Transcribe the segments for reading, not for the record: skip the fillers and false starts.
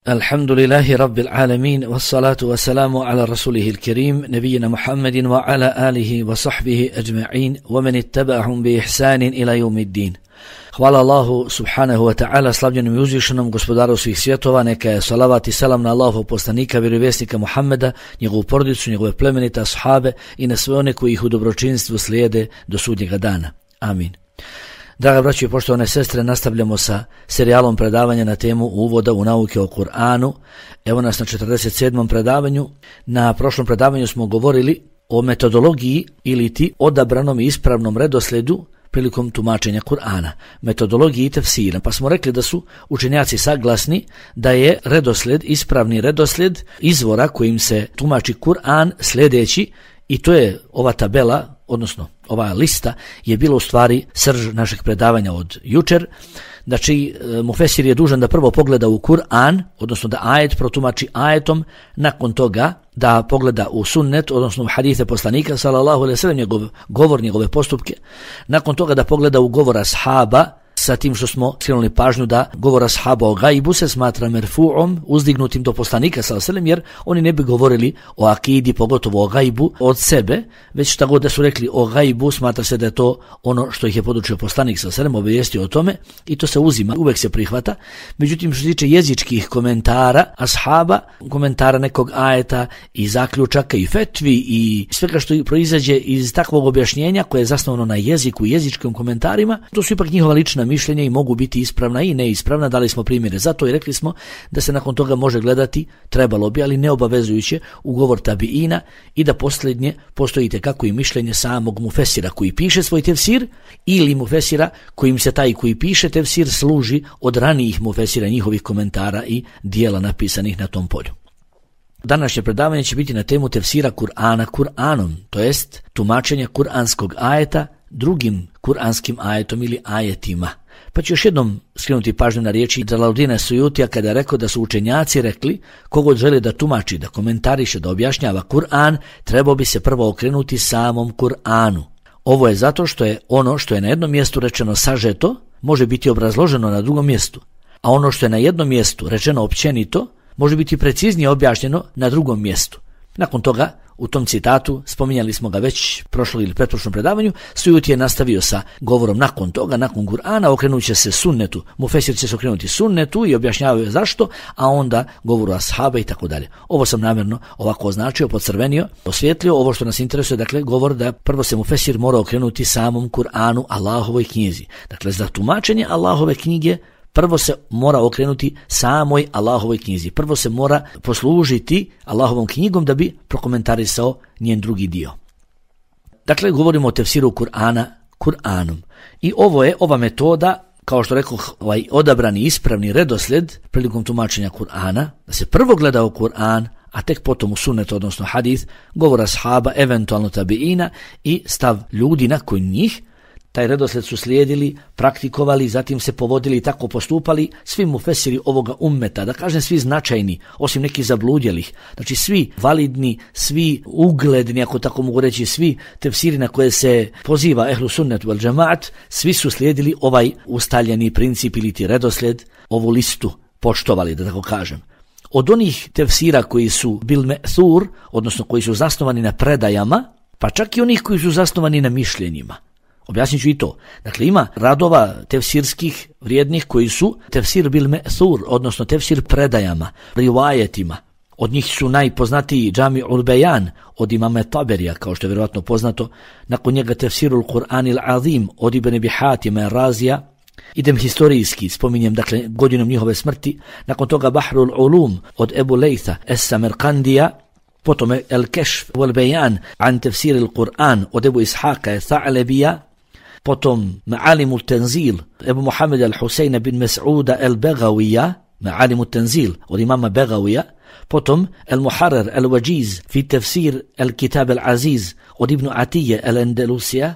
Alhamdulillahi Rabbil Alamin, wassalatu wassalamu ala rasulihil kerim, nebijina Muhammedin wa ala alihi wa sahbihi ajma'in, wa man ittaba'ahum bi ihsanin ila yawmiddin. Hvala Allahu subhanahu wa ta'ala, slavljenom i uzvišenom gospodaru svih svjetova, neka je salavat i selam na Allahov poslanika, vjerovjesnika Muhammeda, njegovu porodicu, njegove plemenite ashabe i na sve one koji ih u dobročinstvu slijede do sudnjega dana. Amin. Draga braćo i poštovane sestre, nastavljamo sa serijalom predavanja na temu uvoda u nauke o Kur'anu. Evo nas na 47. predavanju. Na prošlom predavanju smo govorili o metodologiji ili ti odabranom i ispravnom redoslijedu prilikom tumačenja Kur'ana, metodologiji tefsira, pa smo rekli da su učenjaci saglasni da je redoslijed, ispravni redoslijed izvora kojim se tumači Kur'an sljedeći, i to je ova tabela, odnosno ova lista je bila u stvari srž našeg predavanja od jučer. Znači, mufesir je dužan da prvo pogleda u Kur'an, odnosno da ajet protumači ajetom, nakon toga da pogleda u sunnet, odnosno u hadise poslanika, sallallahu alejhi ve sellem, njegov govor, njegove postupke, nakon toga da pogleda u govor ashaba, sa tim što smo skrenuli pažnju da govor ashaba o gajbu se smatra merfu'om, uzdignutim do poslanika sallallahu alejhi ve sellem, jer oni ne bi govorili o akidi, pogotovo o gajbu od sebe, već šta god da su rekli o gajbu, smatra se da je to ono što ih je podučio poslanik sallallahu alejhi ve sellem, obavijestio o tome, i to se uzima, uvek se prihvata. Međutim, što se tiče jezičkih komentara ashaba, komentara nekog ajeta i zaključaka i fetvi i svega što proizađe iz takvog objašnjenja koje je zasnovano na jeziku i jezičkim komentarima, to su ipak njihova lična mišljenja i mogu biti ispravna i neispravna. Dali smo primjere zato i rekli smo da se nakon toga može gledati, trebalo bi, ali neobavezujuće, u govor tabiina i da posljednje postojite kako i mišljenje samog mufesira koji piše svoj tefsir ili mufesira kojim se taj koji piše tefsir služi od ranijih mufesira, njihovih komentara i dijela napisanih na tom polju. Današnje predavanje će biti na temu tefsira Kur'ana Kur'anom, to jest tumačenja kuranskog ajeta drugim kuranskim ajetom ili ajetima. Pa ću još jednom skrenuti pažnju na riječi Đalaluddina Sujutija kada je rekao da su učenjaci rekli kogod želi da tumači, da komentariše, da objašnjava Kur'an, trebao bi se prvo okrenuti samom Kur'anu. Ovo je zato što je ono što je na jednom mjestu rečeno sažeto, može biti obrazloženo na drugom mjestu, a ono što je na jednom mjestu rečeno općenito, može biti preciznije objašnjeno na drugom mjestu. Nakon toga, u tom citatu, spominjali smo ga već prošlog ili pretprošlom predavanju, Sujuti je nastavio sa govorom nakon toga, nakon Kur'ana, okrenut će se sunnetu, mufesir će se okrenuti sunnetu i objašnjavaju zašto, a onda govoru ashaba i tako dalje. Ovo sam namjerno ovako označio, podcrvenio, osvijetlio ovo što nas interesuje, dakle govor da prvo se mufesir mora okrenuti samom Kur'anu, Allahovoj knjizi. Dakle, za tumačenje Allahove knjige prvo se mora okrenuti samoj Allahovoj knjizi. Prvo se mora poslužiti Allahovom knjigom da bi prokomentarisao njen drugi dio. Dakle, govorimo o tefsiru Kur'ana Kur'anom. I ovo je ova metoda, kao što rekao, ovaj odabrani ispravni redoslijed prilikom tumačenja Kur'ana, da se prvo gleda u Kur'an, a tek potom u sunnet, odnosno hadith, govor ashaba, eventualno tabiina i stav ljudi nakon njih. Taj redoslijed su slijedili, praktikovali, zatim se povodili i tako postupali svi mufesiri ovoga ummeta, da kažem svi značajni, osim nekih zabludjelih. Znači svi validni, svi ugledni, ako tako mogu reći, svi tefsiri na koje se poziva ehlu sunnet wal džemaat, svi su slijedili ovaj ustaljeni princip ili ti redoslijed, ovu listu poštovali, da tako kažem. Od onih tefsira koji su bil me'thur, odnosno koji su zasnovani na predajama, pa čak i onih koji su zasnovani na mišljenjima. Objasnit ću i to. Dakle, ima radova tefsirskih vrijednih koji su tefsir bil me'thur, odnosno tefsir predajama, rivajetima. Od njih su najpoznatiji Džami'ul Bejan od imama Taberija, kao što je vjerovatno poznato, nakon njega tefsirul Kur'anil Azim od Ibn Abi Hatima Razija. Idem historijski, spominjem dakle godinom njihove smrti, nakon toga Bahrul Ulum od Ebu Lejtha Es-Samerkandija, potom El Kešf wal Bejan an tefsiril Kur'an od Ebu Ishaka Tha'lebija, potom Ma'alimul Tenzil Ebu Muhammed al-Husein bin Mas'uda al-Bagawija, Ma'alimul Tenzil od imama Bagawija, potom El-Muharrar al-Wajiz fi tefsir el-Kitab al-Aziz od Ibn Atije al-Andalusija,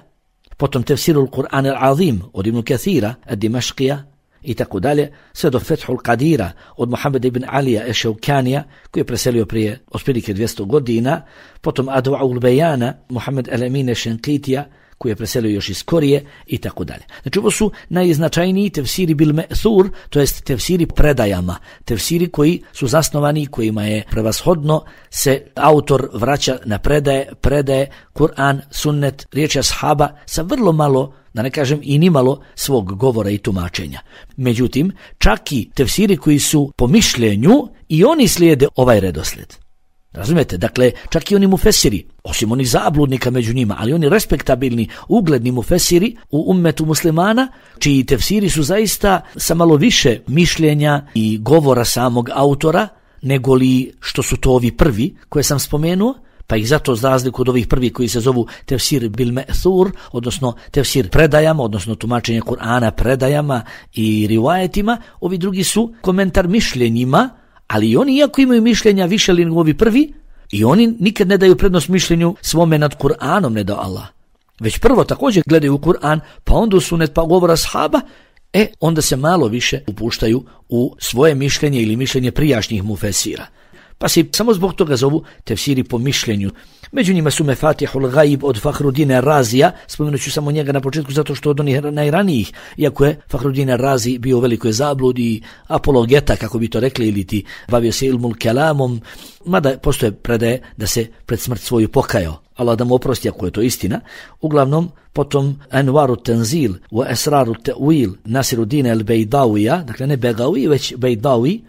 potom tefsirul Kur'an al-Azim od Ibn Kathira al-Dimashqija i tako dalje, sve do Fethul Qadira od Muhammed ibn Alija Ešaukanija, koji je preselio prije otprilike 200 godina, potom Adwa'ul Bejana Muhammed al-Amin Šenkitija, koji je preselio još iz Korije i tako dalje. Znači ovo su najznačajniji tefsiri bil me'thur, to jest tefsiri predajama, tefsiri koji su zasnovani, kojima je prevashodno se autor vraća na predaje Kur'an, sunnet, riječi ashaba sa vrlo malo, da ne kažem i nimalo, svog govora i tumačenja. Međutim, čak i tefsiri koji su po mišljenju i oni slijede ovaj redoslijed. Razumijete? Dakle, čak i oni mufesiri, osim onih zabludnika među njima, ali oni respektabilni, ugledni mufesiri u ummetu muslimana, čiji tefsiri su zaista sa malo više mišljenja i govora samog autora, nego li što su to ovi prvi koje sam spomenuo, pa ih zato za razliku od ovih prvih koji se zovu tefsir bil me'thur, odnosno tefsir predajama, odnosno tumačenje Kur'ana predajama i rivajetima, ovi drugi su komentar mišljenjima, ali i oni, iako imaju mišljenja više li nego ovi prvi, i oni nikad ne daju prednost mišljenju svome nad Kur'anom, ne da Allah. Već prvo također gledaju u Kur'an, pa onda u sunet, pa govora ashaba, onda se malo više upuštaju u svoje mišljenje ili mišljenje prijašnjih mufesira. Pa se samo zbog toga zovu tefsiri po mišljenju. Među njima su Mefatihul Gaib od Fahrudina Razija, spomenut ću samo njega na početku zato što od onih najranijih, iako je Fahrudin Razi bio u velikoj zabludi, apologeta, kako bi to rekli, ili ti bavio se ilmul kelamom, mada postoje predaje da se pred smrt svoju pokajao. Allah da mu oprosti ako je to istina. Uglavnom, potom Anvaru Tenzil wa Esraru Ta'wil Nasiruddin al-Bejdawija, dakle ne Begawi, već Bejdawi,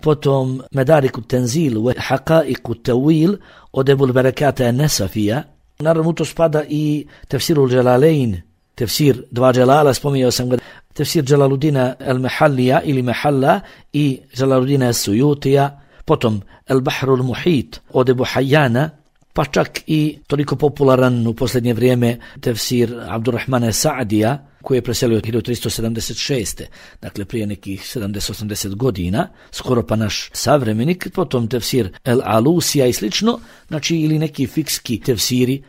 potom Medariku Tenzil wa Haqaiku Ta'wil od Ebul Berekata Nesafija. Naravno, to spada i tefsirul Jalalain, tefsir dva Jalala, spominjao sam ga, tefsir Jalaluddina al-Mahallija ili Mahalla i Jalaluddina al-Suyutija, potom al-Bahrul Muhit od Ebu Hayyana, pa čak i toliko popularan u posljednje vrijeme tefsir Abdurrahmana Sa'dija, koji je preselio 1376. Dakle, prije nekih 70-80 godina, skoro pa naš savremenik, potom tefsir El Alusija i slično, znači ili neki fikski tefsiri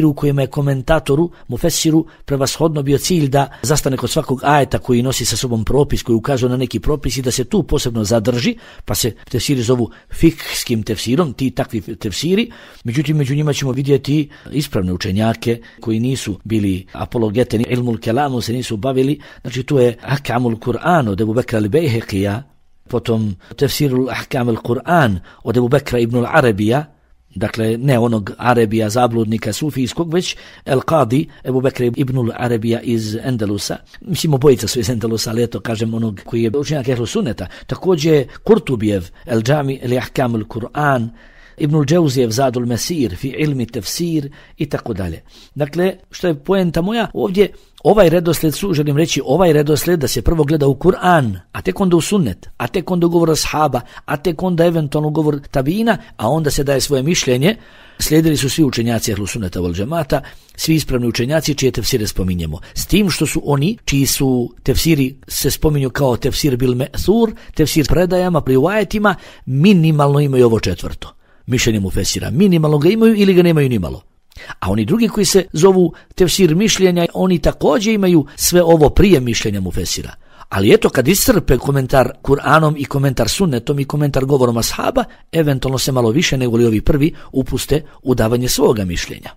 u kojima je komentatoru, mufesiru, prevashodno bio cilj da zastane kod svakog ajeta koji nosi sa sobom propis, koji ukazuje na neki propis i da se tu posebno zadrži, pa se tefsiri zovu fikskim tefsirom, ti takvi tefsiri. Međutim, među njima ćemo vidjeti ispravne učenjake koji nisu bili apologete, ni ilmul kelamu se nisu bavili, znači tu je Ahkamul Kur'an od Ebu Bekra al-Bejheqija, potom tefsirul Ahkamul Kur'an od Ebu Bekra ibn al-Arabija, dakle ne onog Arabija zabludnika sufijskog, već El Qadi Ebu Bekr ibn al-Arabija iz Endelusa. Mislim, obojica su iz Endelusa, ali eto kažem onog koji je učenjak ehlu sunneta. Također Kurtubijev El Džami ili Ahkam al-Kur'an, Ibn al-Džauzijev Zadul Mesir fi ilmi tefsir i tako dalje. Dakle, što je poenta moja ovdje, ovaj redoslijed želim reći, ovaj redoslijed da se prvo gleda u Kur'an, a tek onda u sunnet, a tek onda govor ashaba, a tek onda eventualno govor tabina, a onda se daje svoje mišljenje. Slijedili su svi učenjaci ehlu sunneta wal džemata, svi ispravni učenjaci čije tefsire spominjemo. S tim što su oni, čiji su tefsiri se spominju kao tefsir bil me'thur, tefsir predajama, rivajetima, minimalno imaju ovo četvrto. Mišljenje mufesira, minimalno ga imaju ili ga nemaju nimalo. A oni drugi koji se zovu tefsir mišljenja, oni također imaju sve ovo prije mišljenja mufesira. Ali eto, kad iscrpe komentar Kur'anom i komentar sunnetom i komentar govorom ashaba, eventualno se malo više nego li ovi prvi upuste u davanje svoga mišljenja.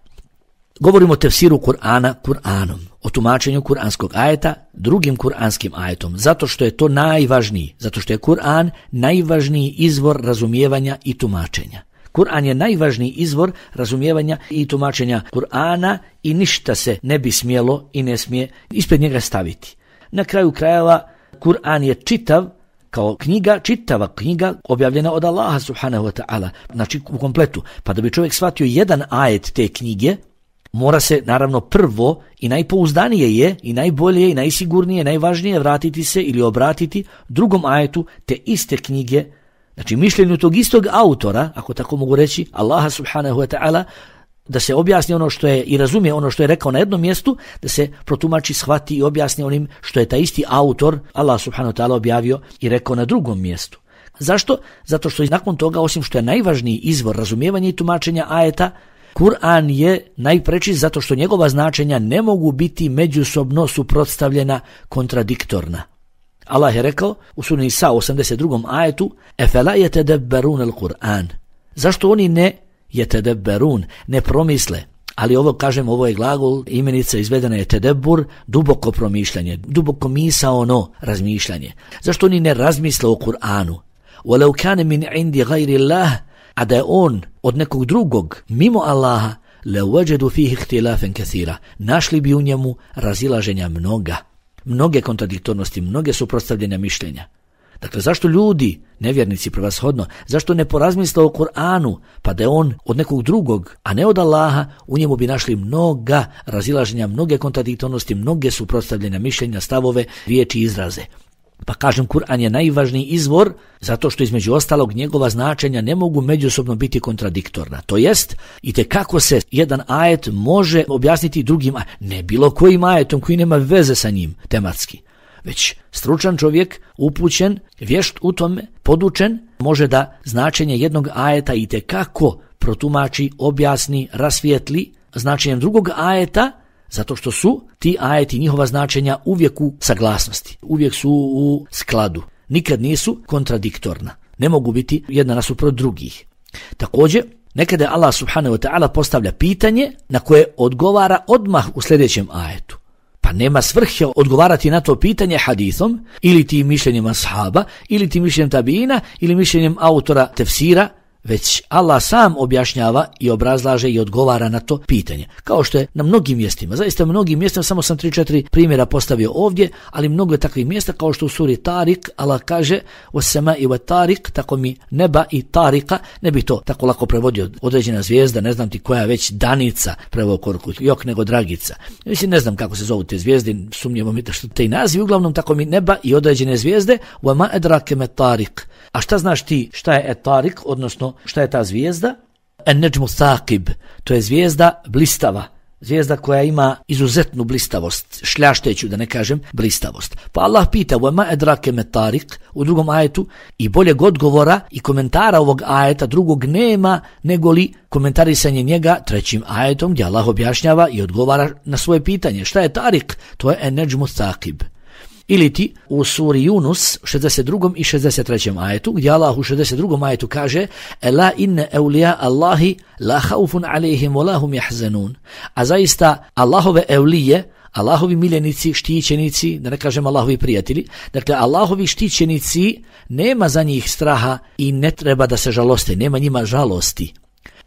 Govorimo o tefsiru Kur'ana Kur'anom, o tumačenju kur'anskog ajeta drugim kur'anskim ajetom, zato što je to najvažniji, zato što je Kur'an najvažniji izvor razumijevanja i tumačenja. Kur'an je najvažniji izvor razumijevanja i tumačenja Kur'ana i ništa se ne bi smjelo i ne smije ispred njega staviti. Na kraju krajeva, Kur'an je čitav kao knjiga, čitava knjiga objavljena od Allaha subhanahu wa ta'ala, znači u kompletu. Pa da bi čovjek shvatio jedan ajet te knjige, mora se naravno prvo i najpouzdanije je i najbolje i najsigurnije, najvažnije vratiti se ili obratiti drugom ajetu te iste knjige, znači mišljenju tog istog autora, ako tako mogu reći, Allaha subhanahu wa ta'ala, da se objasni ono što je i razumije ono što je rekao na jednom mjestu, da se protumači, shvati i objasni onim što je taj isti autor, Allah subhanahu wa ta'ala, objavio i rekao na drugom mjestu. Zašto? Zato što nakon toga, osim što je najvažniji izvor razumijevanja i tumačenja ajeta, Kur'an je najpreči zato što njegova značenja ne mogu biti međusobno suprotstavljena, kontradiktorna. Allah je rekao u suri Nisa 82. ajetu: "Efela yetadabbarun al-Qur'an." Zašto oni ne yetadabbarun, ne promisle Ali ovo, kažem, ovo je glagol, imenica izvedena je tedebur, duboko promišljanje, duboko misaono razmišljanje. Zašto oni ne razmisle o Kur'anu? وَلَوْ كَانَ مِنْ عِنْدِ غَيْرِ اللَّهِ, a da je on od nekog drugog, mimo Allaha, لَوَجَدُوا فِيهِ اخْتِلَافًا كَثِيرًا, našli bi u njemu razilaženja mnoge kontradiktornosti, mnoge suprotstavljanja mišljenja. Dakle, zašto ljudi, nevjernici prevashodno, zašto ne porazmisle o Kur'anu, pa da je on od nekog drugog, a ne od Allaha, u njemu bi našli mnoga razilaženja, mnoge kontradiktornosti, mnoge suprotstavljanja mišljenja, stavove, riječi i izraze. Pa kažem, Kur'an je najvažniji izvor zato što između ostalog njegova značenja ne mogu međusobno biti kontradiktorna. To jest, itekako se jedan ajet može objasniti drugim, ne bilo kojim ajetom koji nema veze sa njim tematski, već stručan čovjek, upućen, vješt u tome, podučen, može da značenje jednog ajeta itekako protumači, objasni, rasvijetli značenjem drugog ajeta, zato što su ti ajeti, njihova značenja uvijek u saglasnosti, uvijek su u skladu, nikad nisu kontradiktorna, ne mogu biti jedna nasuprot drugih. Također, nekada Allah subhanahu wa ta'ala postavlja pitanje na koje odgovara odmah u sljedećem ajetu. Pa nema svrhe odgovarati na to pitanje hadithom, ili ti mišljenjem ashaba, ili ti mišljenjem tabiina, ili mišljenjem autora tefsira, već Allah sam objašnjava i obrazlaže i odgovara na to pitanje. Kao što je na mnogim mjestima, zaista mnogim mjestima, samo sam 3-4 primjera postavio ovdje, ali mnogo je takvih mjesta, kao što u suri Tarik, Allah kaže وَسَّمَاءِ وَتَارِق, tako mi neba i tarika, ne bi to tako lako prevodio, određena zvijezda, ne znam ti koja već, danica, preveo korku, jok nego dragica. Mislim, ne znam kako se zovu te zvijezde, sumnjivo mi što te naziv, uglavnom tako mi neba i određene zvijezde, وَمَا أَدْرَاكَ مَا طَارِق. A šta znaš ti šta je Tarik, odnosno šta je ta zvijezda? An-Najmu Thaqib, to je zvijezda blistava, zvijezda koja ima izuzetnu blistavost, šljašteću da ne kažem blistavost. Pa Allah pita وَمَا أَدْرَاكَ مَا طَارِق u drugom ajetu i boljeg odgovora i komentara ovog ajeta drugog nema nego li komentarisanje njega trećim ajetom gdje Allah objašnjava i odgovara na svoje pitanje. Šta je Tarik? To je An-Najmu Thaqib. Ili ti u suri Yunus 62. i 63. ajetu gdje Allah u 62. ajetu kaže Ela inne evlija Allahi la haufun alejhim wa lahum yahzanun. A zaista Allahove evlije, Allahovi miljenici, štićenici, da ne kažem Allahovi prijatelji, dakle Allahovi štićenici nema za njih straha i ne treba da se žaloste, nema njima žalosti.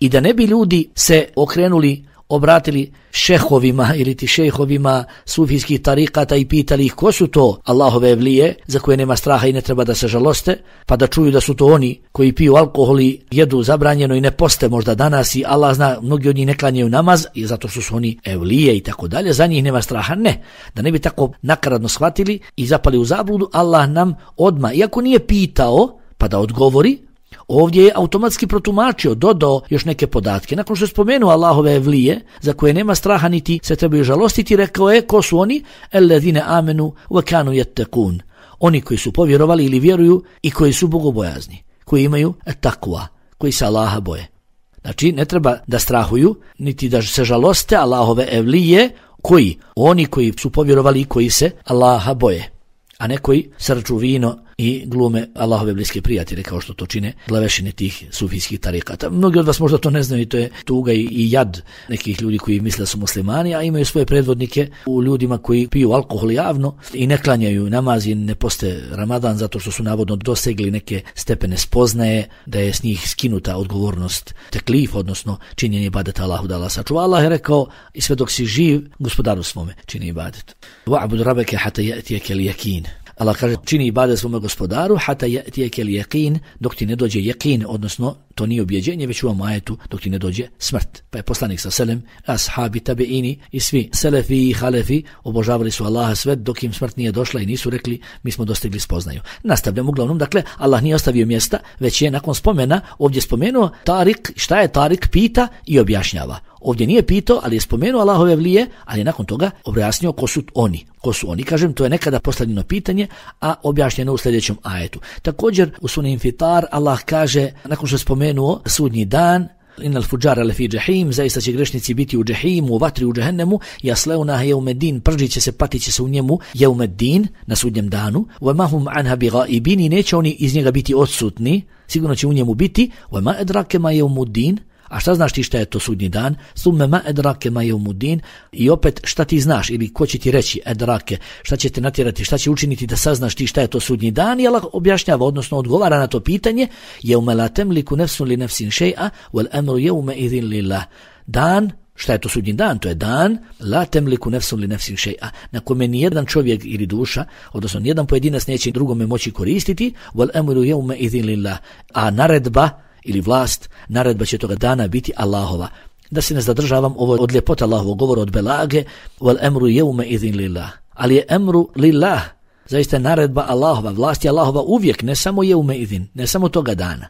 I da ne bi ljudi se okrenuli, obratili šehovima ili ti šejhovima sufijskih tarikata i pitali ih ko su to Allahove evlije za koje nema straha i ne treba da se žaloste, pa da čuju da su to oni koji piju alkohol i jedu zabranjeno i ne poste možda danas i Allah zna, mnogi od njih ne klanjaju namaz i zato što su oni evlije i tako dalje, za njih nema straha. Ne, da ne bi tako nakaradno shvatili i zapali u zabludu, Allah nam odmah, iako nije pitao pa da odgovori, ovdje je automatski protumačio, dodao još neke podatke. Nakon što je spomenuo Allahove evlije, za koje nema straha niti se trebaju žalostiti, rekao je ko su oni? Ellezine amenu wa kanu yattaqun. Oni koji su povjerovali ili vjeruju i koji su bogobojazni, koji imaju takva, koji se Allaha boje. Znači, ne treba da strahuju, niti da se žaloste Allahove evlije, koji? Oni koji su povjerovali i koji se Allaha boje, a ne koji srču vino i glume Allahove bliske prijatelje, kao što to čine glavešine tih sufijskih tarikata. Mnogi od vas možda to ne znaju i to je tuga i jad nekih ljudi koji misle da su muslimani, a imaju svoje predvodnike u ljudima koji piju alkohol javno i ne klanjaju namaz i ne poste Ramadan zato što su navodno dosegli neke stepene spoznaje da je s njih skinuta odgovornost teklif, odnosno činjenje ibadeta Allahu, da Allah sačuva. Allah je rekao i sve dok si živ, gospodaru svome čini ibadet. Wa'bud rabbaka hatta ya'tiyaka al-yaqin. Allah kaže čini ibadet svome gospodaru hata ya'tiyaka al-yaqin, dok ti ne dođe yaqin, odnosno to nije objeđenje, već u ovom ajetu dok ti ne dođe smrt. Pa je poslanik sa selem, ashabi, tabeini i svi selefi i halefi obožavali su Allaha sve dok im smrt nije došla i nisu rekli mi smo dostigli spoznaju. Nastavljamo uglavnom, dakle Allah nije ostavio mjesta, već je nakon spomena ovdje spomenuo Tarik, šta je Tarik, pita i objašnjava. Ovdje nije pitao, ali je spomenuo Allahove evlije, ali je nakon toga objasnio ko su oni. Ko su oni? Kažem, to je nekada postavljeno pitanje, a objašnjeno u sljedećem ajetu. Također u suri Infitar Allah kaže, nakon što je spomenuo sudnji dan, innal fujara lafi jahim, zaista će grešnici biti u džehimu, u vatri u džehennemu, yaslaunaha yawmiddin, pržiće se, patiće se u njemu yawmiddin, na sudnjem danu, wa ma hum anha bighaibin, neće oni iz njega biti odsutni, sigurno će u njemu biti, wa ma adraka ma yawmuddin, A šta znaš ti šta je to sudnji dan? Summe ma edrake ma jeumudin. I opet šta ti znaš ili ko će ti reći edrake, šta će te natjerati, šta će učiniti da saznaš ti šta je to sudnji dan? I Allah objašnjava, odnosno odgovara na to pitanje: jeume la temliku nefsun li nefsin še'a wal amru jeume idhin lillah. Dan, šta je to sudnji dan? To je dan la temliku nefsun li nefsin še'a, na kome nijedan čovjek ili duša, odnosno nijedan pojedinac neće drugome moći koristiti, wal amru jeume idhin lillah. A naredba ili vlast, naredba će toga dana biti Allahova. Da se ne zadržavam, ovo od ljepota Allahovog govora, od belage, wal emru jeume idhin lillah. Ali je emru lillah, zaista je naredba Allahova, vlast je Allahova uvijek, ne samo jeume idhin, ne samo toga dana.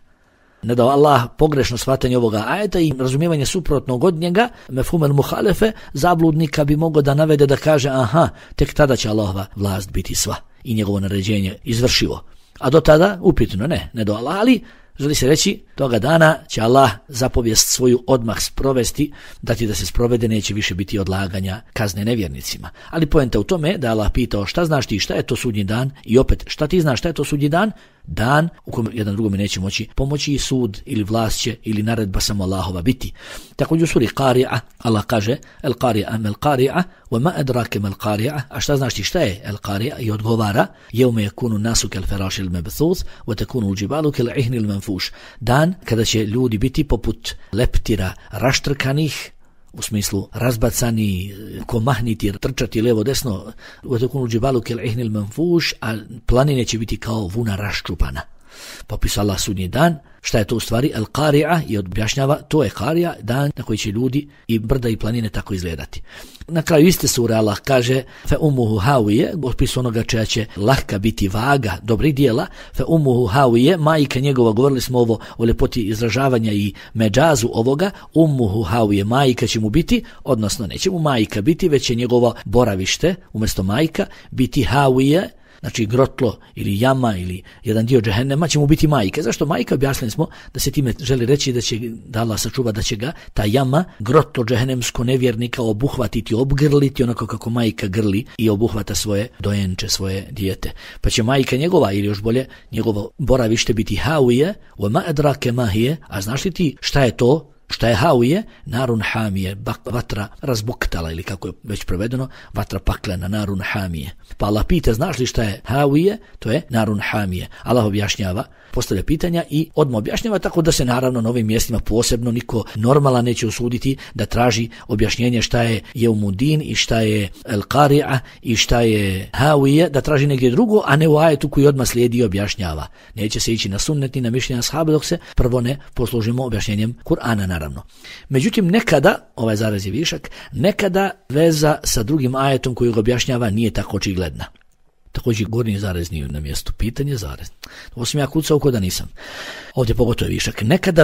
Ne da Allah pogrešno shvatanje ovoga ajeta i razumijevanje suprotnog od njega, mefhumel muhalefe, zabludnika bi mogao da navede da kaže aha, tek tada će Allahova vlast biti sva i njegovo naređenje izvršivo. A do tada upitno, ne do Allah, ali želi se reći, toga dana će Allah zapovijest svoju odmah sprovesti, dati da se sprovede, neće više biti odlaganja kazne nevjernicima. Ali poenta u tome da Allah pitao šta znaš ti šta je to sudnji dan i opet šta ti znaš šta je to sudnji dan? Dan u kojem jedan drugome neće moći pomoći i sud ili vlast će ili naredba samo Allahova biti. Također u suri Qari'a Allah kaže el Qari'a mel Qari'a wa ma adrake mel Qari'a, a šta znaš ti šta je el Qari'a? I odgovara yawma yakunu nasu kal firash al mabthuth wa takunu al jibalu kal ihn al manfush. Dan kada će ljudi biti poput leptira raštrkanih, u smislu razbacani, komahniti, trčati levo desno, utakunu džibalu kel ihnil manfuš, a planine će biti kao vuna raščupana. Popisao Allah sudnji dan. Šta je to u stvari? El Qari'a, i objašnjava, to je Qari'a, dan na koji će ljudi i brda i planine tako izgledati. Na kraju iste sure Allah kaže fe umuhu hawije, opis onoga čija će lahka biti vaga dobrih dijela, fe umuhu hawije, majka njegova, govorili smo ovo o ljepoti izražavanja i međazu ovoga, umuhu hawije, majka će mu biti, odnosno neće mu majka biti, već će njegovo boravište umjesto majka biti hawije, znači grotlo ili jama ili jedan dio džehennema će mu biti majka. Zašto majka? Objasnili smo da se time želi reći da će da Allah sačuva da će ga ta jama, grotlo džehennemsko nevjernika obuhvatiti, obgrliti onako kako majka grli i obuhvata svoje dojenče, svoje dijete. Pa će majka njegova ili još bolje njegovo boravište biti hawije, wa ma adrake ma hiye, a znaš li ti šta je to? Šta je hawije? Narun hamije, vatra razbuktala ili kako je već prevedeno, vatra paklena, narun hamije. Pa Allah pita, znaš li šta je hawije? To je narun hamije. Allah objašnjava, postavlja pitanja i odmah objašnjava, tako da se naravno na ovim mjestima posebno niko normalan neće usuditi da traži objašnjenje šta je jeumudin i šta je el Qari'a i šta je hawije, da traži negdje drugo, a ne u ajetu koji odmah slijedi i objašnjava. Neće se ići na sunnet ni na mišljenja ashaba dok se prvo ne poslužimo objašnjenjem Kur'ana naravno. Međutim, nekada, ovaj zaraz je višak, nekada veza sa drugim ajetom koji ga objašnjava nije tako očigledna. Također gornji zarez nije na mjestu, pitanje zarez. Ovo sam ja kucao ko da nisam. Ovdje pogotovo je višak. Nekad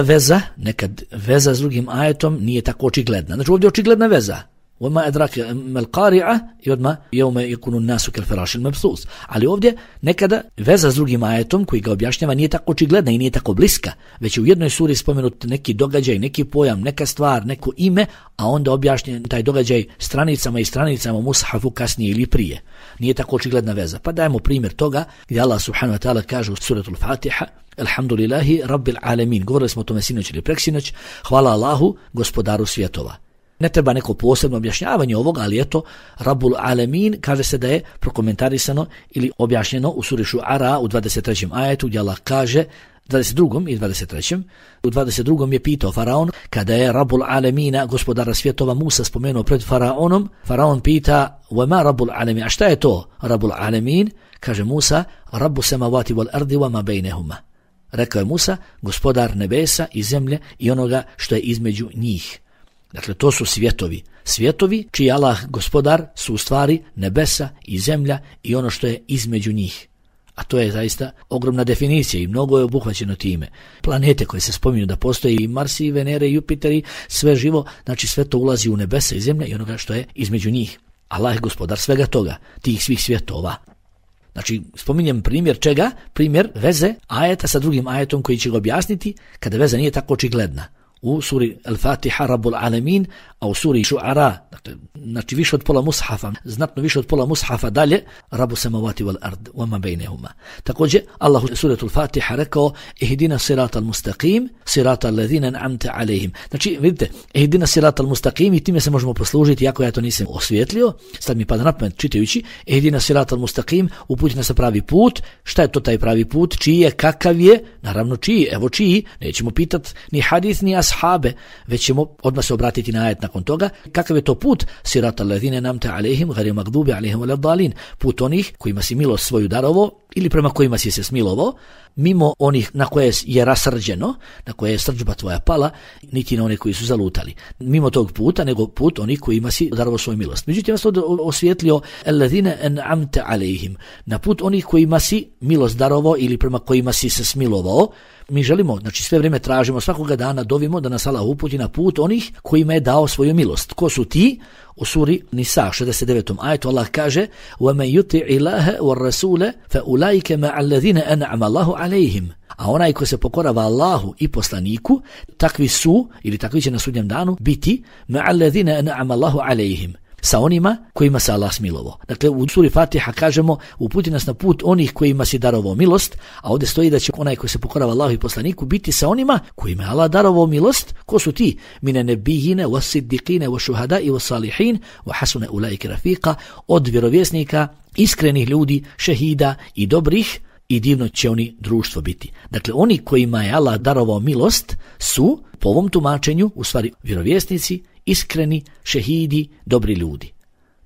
veza s drugim ajetom nije tako očigledna. Znači ovdje je očigledna veza. وما أدراك ما القارعة يودما يوم يكون الناس كالفراش المبثوث. Ali ovdje nekada veza s drugim ajetom koji ga objašnjava nije tako očigledna i nije tako bliska, već u jednoj suri spomenut neki događaj, neki pojam, neka stvar, neko ime, a onda objašnjen taj događaj stranicama i stranicama u mushafu kasnije ili prije. Nije tako očigledna veza. Pa dajemo primjer toga gdje Allah subhanahu wa ta'ala kaže u suratul Fatiha Alhamdulillahi Rabbil Alamin. Govorili smo o tome sinoć ili preksinoć. Hvala Allahu, gospodaru svjetova. Ne treba neko posebno objašnjavanje ovoga, ali eto, Rabbul Alamin kaže se da je prokomentarisano ili objašnjeno u suri Šu'ara u 23. ajetu gdje Allah kaže 22. i 23. U 22. je pitao Faraon, kada je Rabbul Alamina, gospodara svjetova, Musa spomenuo pred Faraonom, Faraon pita, وَمَا Rabbul Alamin, a šta je to Rabbul Alamin? Kaže Musa, Rabbu samavati wal ardi wa ma bejnehuma. Rekao je Musa, gospodar nebesa i zemlje i onoga što je između njih. Dakle, to su svjetovi. Svjetovi čiji Allah gospodar su u stvari nebesa i zemlja i ono što je između njih. A to je zaista ogromna definicija i mnogo je obuhvaćeno time. Planete koje se spominju da postoje i Marsi, i Venere, i Jupiteri, sve živo, znači sve to ulazi u nebesa i zemlja i onoga što je između njih. Allah je gospodar svega toga, tih svih svjetova. Znači, spominjem primjer čega? Primjer veze ajeta sa drugim ajetom koji će ga objasniti kada veza nije tako očigledna. u suri Al-Fatiha Rabbul Alamin, a u suri Šu'ara, dakle, znači više od pola mushafa, znatno više od pola mushafa dalje, Rabu samavati wal ard, wama bejnehuma. Također, Allah u suratul Fatiha rekao, ihdina siratal mustaqim, siratal ladhina an'amta alejhim. Znači, vidite, ihdina siratal mustaqim, i time se možemo poslužiti, iako ja to nisam osvijetlio, sad mi pada na pamet čitajući, ihdina siratal mustaqim, uputi nas na pravi put. Šta je to taj pravi put? Čiji je, kakav je? Naravno čiji, evo čiji, nećemo pitati ni hadis ni ashabe, već ćemo odmah se obratiti na ajet nakon toga. Kakav je to put? Siratal ladhina an'amta alejhim ghayril maghdubi alejhim waladdallin. Put onih kojima si milost svoju darovo ili prema kojima si se smilovao, mimo onih na koje je rasrđeno, na koje je srdžba tvoja pala, niti na one koji su zalutali. Mimo tog puta, nego put onih kojima si darovo svoju milost. Međutim, ja sam osvijetlio alladhina an'amta alejhim, na put onih kojima si milost darovo ili prema kojima si se smilovao. Mi želimo, znači sve vrijeme tražimo, svakoga dana dovimo da nas Allah uputi na put onih kojima je dao svoju milost. Ko su ti? U suri Nisa 69. ajetu Allah kaže: وَمَنْ يُطِعِ اللَّهَ وَالرَّسُولَ فَأُولَئِكَ مَعَ الَّذِينَ أَنْعَمَ اللَّهُ عَلَيْهِمْ. A onaj ko se pokorava Allahu i poslaniku, takvi su, ili takvi će na sudnjem danu biti مَعَ الَّذِينَ أَنْعَمَ اللَّهُ عَلَيْهِمْ, sa onima kojima se Allah smilovao. Dakle, u suri Fatiha kažemo, uputi nas na put onih kojima si darovao milost, a ovdje stoji da će onaj koji se pokorava Allahu i poslaniku biti sa onima kojima je Allah darovao milost. Ko su ti? Mine nebijine, wasiddiqine, washuhadai, wasalihin, wa hasune ulaike rafiqa, od vjerovjesnika, iskrenih ljudi, šehida i dobrih, i divno će oni društvo biti. Dakle, oni kojima je Allah darovao milost su, po ovom tumačenju, u stvari vjerovjesnici, iskreni, šehidi, dobri ljudi.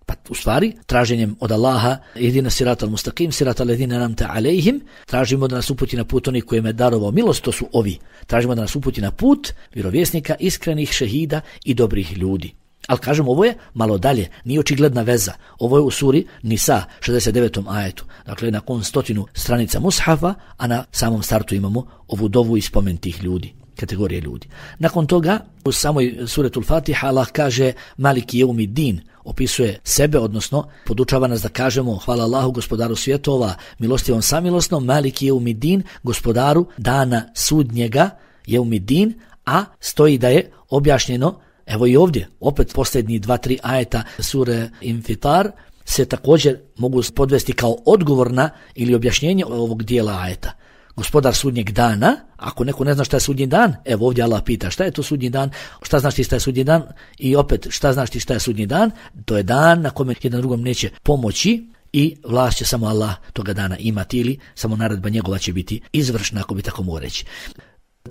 Pa u stvari, traženjem od Allaha, ihdina siratal mustaqim, siratal ladhina an'amta alejhim, tražimo da nas uputi na put onih kojima je darovao milost, to su ovi. Tražimo da nas uputi na put vjerovjesnika, iskrenih, šehida i dobrih ljudi. Ali kažem, ovo je malo dalje, nije očigledna veza. Ovo je u suri Nisa 69. ajetu. Dakle, nakon 100 stranica mushafa, a na samom startu imamo ovu dovu i spomen tih ljudi, kategorije ljudi. Nakon toga, u samoj suretul Fatiha, Allah kaže Maliki jeumiddin, opisuje sebe, odnosno podučava nas da kažemo hvala Allahu, gospodaru svjetova, milostivom samilosnom, Maliki jeumiddin, gospodaru dana sudnjega, jeumiddin, a stoji da je objašnjeno, evo i ovdje, opet posljednji 2-3 ajeta sure Infitar se također mogu podvesti kao odgovor na ili objašnjenje ovog dijela ajeta. Gospodar sudnjeg dana, ako neko ne zna šta je sudnji dan, evo ovdje Allah pita šta je to sudnji dan, šta znaš ti šta je sudnji dan, i opet šta znaš ti šta je sudnji dan, to je dan na kome jedan drugom neće pomoći i vlast će samo Allah toga dana imati, ili samo naredba njegova će biti izvršna, ako bi tako mogu reći.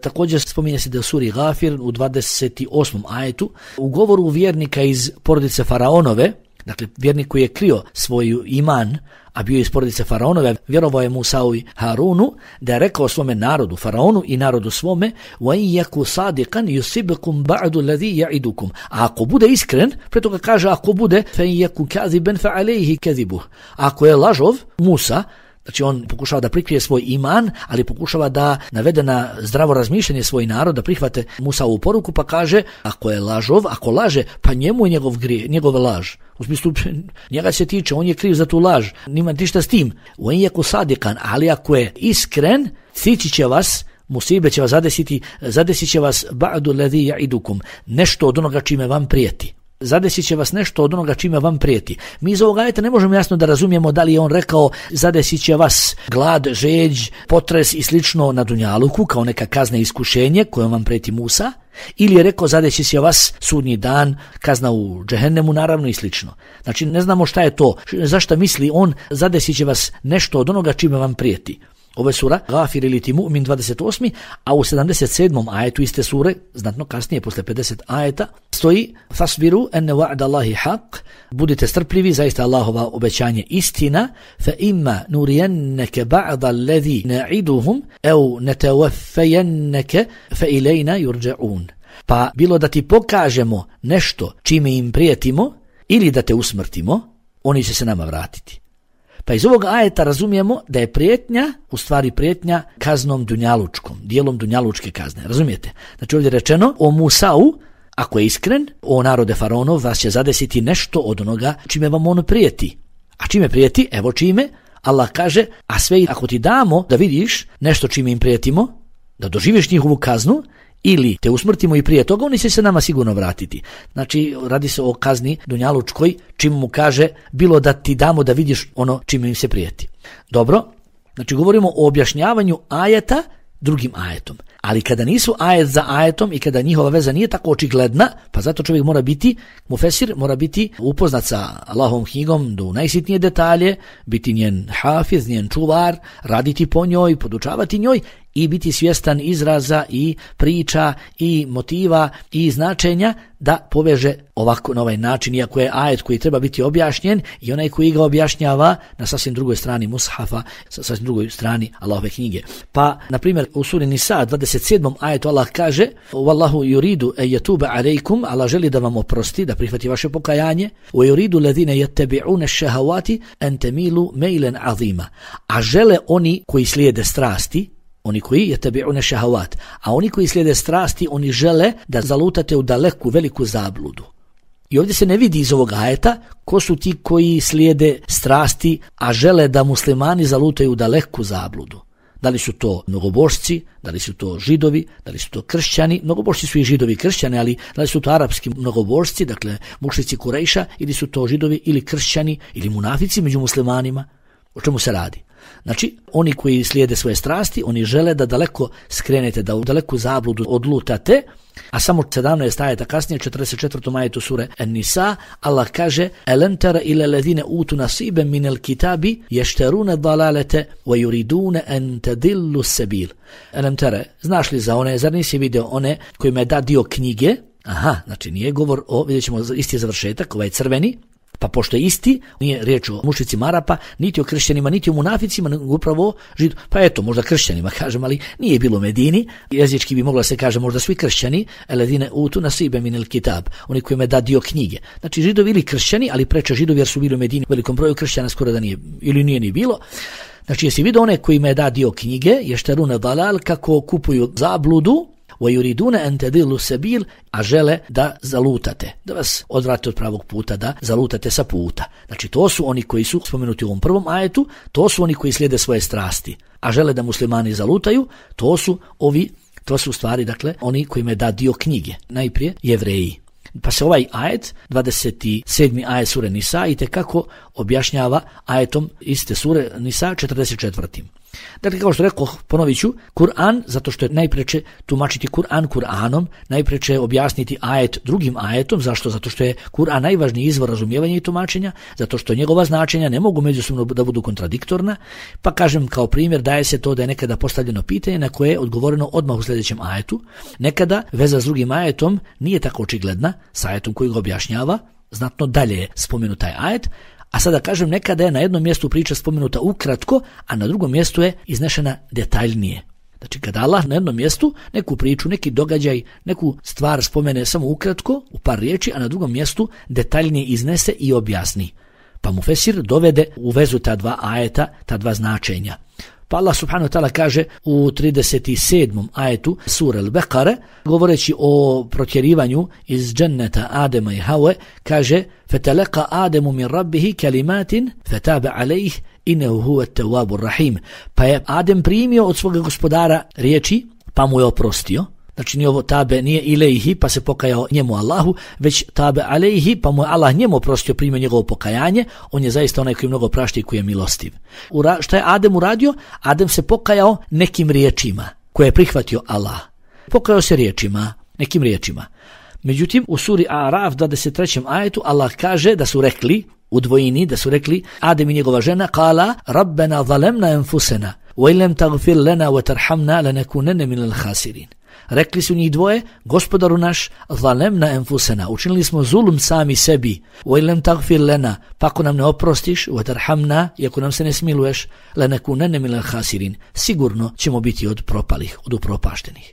Također spominje se da u suri Gafir u 28. ajetu u govoru vjernika iz porodice Faraonove, dakle vjernik koji je krio svoj iman, a bio iz porodice Faraonove, vjerovao je Musau i Harunu, da je rekao svome narodu, Faraonu i narodu svome, وَإِنْ يَكُ صَادِقًا يُصِبْكُمْ بَعْدُ الَّذِي يَعِدُكُمْ. A ako bude iskren, pre toga kaže ako bude فَإِنْ يَكُ كَذِبًا فَعَلَيْهِ كَذِبُهُ. Ako je lažov, Musa, znači on pokušava da prikrije svoj iman, ali pokušava da navede na zdravo razmišljanje svoj narod, da prihvate Musaovu poruku, pa kaže ako je lažov, ako laže, pa njemu je njegov grije, njegova laž. U smislu, njega se tiče, on je kriv za tu laž, nima ništa s tim. Uenjeku sadikan, ali ako je iskren, stići će vas, musibe će vas zadesit će vas ba'du ladhi ya'idukum, nešto od onoga čime vam prijeti. Zadesit će vas nešto od onoga čime vam prijeti. Mi iz ovog ajeta ne možemo jasno da razumijemo da li je on rekao zadesit će vas glad, žeđ, potres i slično na dunjaluku kao neka kazna i iskušenje kojom vam prijeti Musa, ili je rekao zadesit će vas sudnji dan, kazna u džehennemu naravno i slično. Znači ne znamo šta je to, zašto misli on zadesit će vas nešto od onoga čime vam prijeti. Ovo je sura Gafir ili ti Mu'min 28. a u 77. ajetu iste sure, znatno kasnije, posle 50 ajeta, stoji fasbiru enne wa'da Allahi haq, budite strpljivi, zaista Allahova obećanje istina, fa imma nurijenneke ba'da alladhi na'iduhum, au netawaffejenneke, fa ilajna yurja'un. Pa bilo da ti pokažemo nešto čime im prijetimo, ili da te usmrtimo, oni će se nama vratiti. Pa iz ovog ajeta razumijemo da je prijetnja, u stvari prijetnja kaznom dunjalučkom, dijelom dunjalučke kazne, razumijete? Znači ovdje je rečeno o Musau, ako je iskren, o narode Faraonov, vas će zadesiti nešto od onoga čime vam on prijeti. A čime prijeti? Evo čime. Allah kaže, a sve ako ti damo da vidiš nešto čime im prijetimo, da doživiš njihovu kaznu, ili te usmrtimo i prije toga, oni će se nama sigurno vratiti. Znači, radi se o kazni dunjalučkoj, čim mu kaže bilo da ti damo da vidiš ono čime im se prijeti. Dobro, znači govorimo o objašnjavanju ajeta drugim ajetom. Ali kada nisu ajet za ajetom i kada njihova veza nije tako očigledna, pa zato čovjek mora biti, mufesir mora biti upoznat sa Allahovom knjigom do najsitnije detalje, biti njen hafiz, njen čuvar, raditi po njoj, podučavati njoj i biti svjestan izraza i priča i motiva i značenja da poveže ovako na ovaj način, iako je ajet koji treba biti objašnjen i onaj koji ga objašnjava na sasvim drugoj strani mushafa, sa sasvim drugoj strani Allahove knjige. Pa, na primjer, u suri Nisa 27. ajetu Allah kaže: "Wallahu yuridu an yatuba alaykum", Allah želi da vam oprosti, da prihvati vaše pokajanje. "Wa yuridu alladhina yattabi'una ash-shahawati an tamilu maylan 'azima", a žele oni koji slijede strasti, oni koji yattabi'una shahawat, a oni koji slijede strasti, oni žele da zalutate u daleku veliku zabludu. I ovdje se ne vidi iz ovog ajeta ko su ti koji slijede strasti, a žele da muslimani zalutaju u daleku zabludu. Da li su to mnogobošci, da li su to židovi, da li su to kršćani, mnogobošci su i židovi i kršćani, ali da li su to arapski mnogobošci, dakle mušrici Kurejša, ili su to židovi ili kršćani ili munafici među muslimanima, o čemu se radi? Znači, oni koji slijede svoje strasti, oni žele da daleko skrenete, da u daleku zabludu odlutate, a samo 17 ajeta kasnije, 44. ajetu sure An-Nisa, Allah kaže: "Alam tara ila alladhina utu nasiban min al-kitabi yashtaruna dalalata wa yuriduna an tadillu as-sabil." Alam tara, znaš li za one, zar nisi vidio one kojima je dat dio knjige? Aha, znači nije govor o, vidjet ćemo isti završetak, ovaj crveni. Pa pošto je isti, nije riječ o mušricima Arapa, niti o kršćanima, niti o munaficima, nego upravo židu. Pa eto, možda kršćanima kažem, ali nije bilo u Medini. Jezički bi mogla se kaže možda svi kršćani, alladhina utu nasiban min al-kitab, oni kojima je dat dio knjige. Znači židovi ili kršćani, ali preče židovi jer su bili u Medini, u velikom broju kršćana skoro da nije ili nije ni bilo. Znači jesi vidio one kojima je dat dio knjige, yashtaruna dalal, kako kupuju zabludu, وَيُرِدُونَ أَنْ تَدِلُّ سَبِيلَ, a žele da zalutate, da vas odvrate od pravog puta, da zalutate sa puta. Znači to su oni koji su spomenuti u ovom prvom ajetu, to su oni koji slijede svoje strasti, a žele da muslimani zalutaju, to su u stvari, dakle, oni kojima je dat dio knjige, najprije Jevreji. Pa se ovaj ajet, 27. ajet sure Nisa, itekako objašnjava ajetom iste sure Nisa 44. Dakle, kao što rekao, ponovit ću, Kur'an, zato što je najpreče tumačiti Kur'an Kur'anom, najpreče objasniti ajet drugim ajetom. Zašto? Zato što je Kur'an najvažniji izvor razumijevanja i tumačenja, zato što njegova značenja ne mogu međusobno da budu kontradiktorna. Pa kažem, kao primjer, daje se to da je nekada postavljeno pitanje na koje je odgovoreno odmah u sljedećem ajetu. Nekada veza s drugim ajetom nije tako očigledna, s ajetom koji ga objašnjava, znatno dalje je spomenut taj ajet. A sada kažem, nekada je na jednom mjestu priča spomenuta ukratko, a na drugom mjestu je iznešena detaljnije. Znači kada Allah na jednom mjestu neku priču, neki događaj, neku stvar spomene samo ukratko, u par riječi, a na drugom mjestu detaljnije iznese i objasni. Pa mufesir dovede u vezu ta dva ajeta, ta dva značenja. Pa Allah subhanahu wa ta'ala kaže u 37. ajetu sure Al-Baqara, govoreći o protjerivanju iz dženneta Adema i Hawe, kaže: "Fatalaqa Adamu min rabbihi kalimatin fataba alayhi innahu huwa at-tawwabur rahim." Pa je Adem primio od svoga gospodara riječi, pa mu je oprostio. Znači nije ovo tabe, nije ilejhi, pa se pokajao njemu Allahu, već tabe alejhi, pa mu je Allah njemu oprostio, primio njegovo pokajanje. On je zaista onaj koji mnogo prašta i koji je milostiv. Šta je Adem uradio? Adem se pokajao nekim riječima koje je prihvatio Allah. Pokajao se riječima, nekim riječima. Međutim, u suri Araf 23. ajetu Allah kaže da su rekli, u dvojini, da su rekli Adem i njegova žena, kala rabbena zalemna enfusena, wa ilem tagfir lena wa tarhamna lanakunanna minal khasirin. Rekli su njih dvoje, gospodaru naš, zalemna enfusena, učinili smo zulum sami sebi, wa ilem tagfir lena, pa ako nam ne oprostiš, wa tarhamna, i ako nam se ne smiluješ, lanakunanna minal khasirin, sigurno ćemo biti od propalih, od upropaštenih.